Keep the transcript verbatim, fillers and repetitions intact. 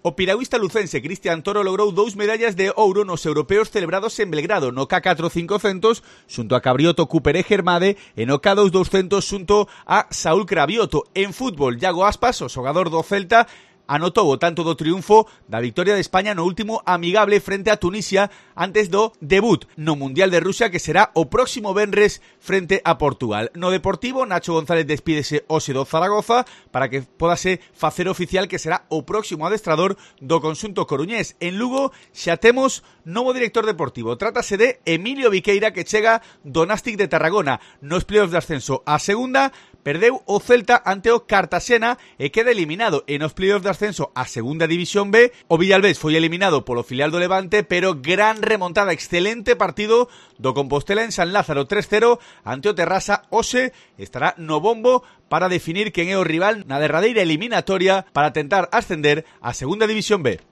O piragüista lucense Cristian Toro logrou dous medallas de ouro nos europeos celebrados en Belgrado, no K catro cincocentos xunto a Cabrioto Cupere Germade e no K dos douscentos xunto a Saúl Cravioto. En fútbol, Iago Aspas, o xogador do Celta, anotou o tanto do triunfo da victoria de España no último amigable frente a Tunisia antes do debut no Mundial de Rusia, que será o próximo venres frente a Portugal. No Deportivo, Nacho González despídese hoxe do Zaragoza para que podase facer oficial que será o próximo adestrador do conxunto coruñés. En Lugo xa temos novo director deportivo. Trátase de Emilio Viqueira, que chega do Nástic de Tarragona. Nos playoffs de ascenso a segunda, perdeu o Celta ante o Cartagena e queda eliminado. E nos playoffs de ascenso a segunda división B, o Villalbés foi eliminado polo filial do Levante, pero gran remontada, excelente partido do Compostela en San Lázaro, tres cero ante o Terrasa. Hoxe estará no bombo para definir quen é o rival na derradeira eliminatoria para tentar ascender a segunda división B.